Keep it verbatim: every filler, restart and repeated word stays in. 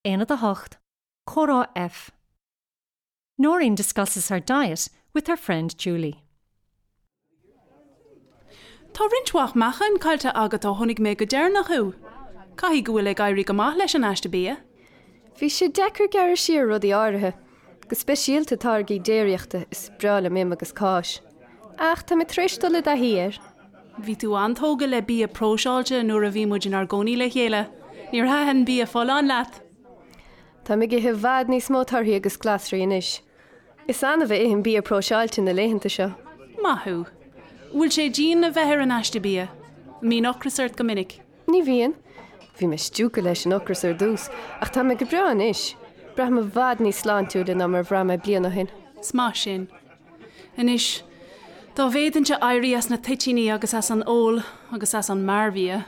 Aonad a hocht, Comhrá F. Noreen discusses her diet with her friend Julie. Tá roinnt mhaith meáchain caillte agat ó chonaic mé go deireanach thú. Caithfidh go bhfuil ag éirí go maith leis an aiste bia. Bhí sé deacair gearradh siar rudaí áirithe, go speisialta táirgí déiríochta is breá liom im agus cáis. Ach tá mé tar éis dul i dtaithí air. Bhí tú an-tógtha le bia próiseáilte nuair a bhí muid inár gcónaí le chéile. Níor thaitin bia folláin leat. Tá mé ag ithe i bhfad níos mó torthaí agus glasraí anois. Is annamh a ithim bia próiseáilte na laethanta seo. Maith thú. Bhfuil sé dian a bheith ar an aiste bia. Mbíonn ocras ort go minic. Ní bhíonn. Bhí mé stiúgtha leis an ocras ar dtús, ach tá mé go breá anois. Braithim i bhfad níos sláintiúla ná mar a bhraith mé bliain ó shin. Is maith sin. Anois, dá bhféadfainnse éirí as na toitíní agus as an ól agus as an mearbhia,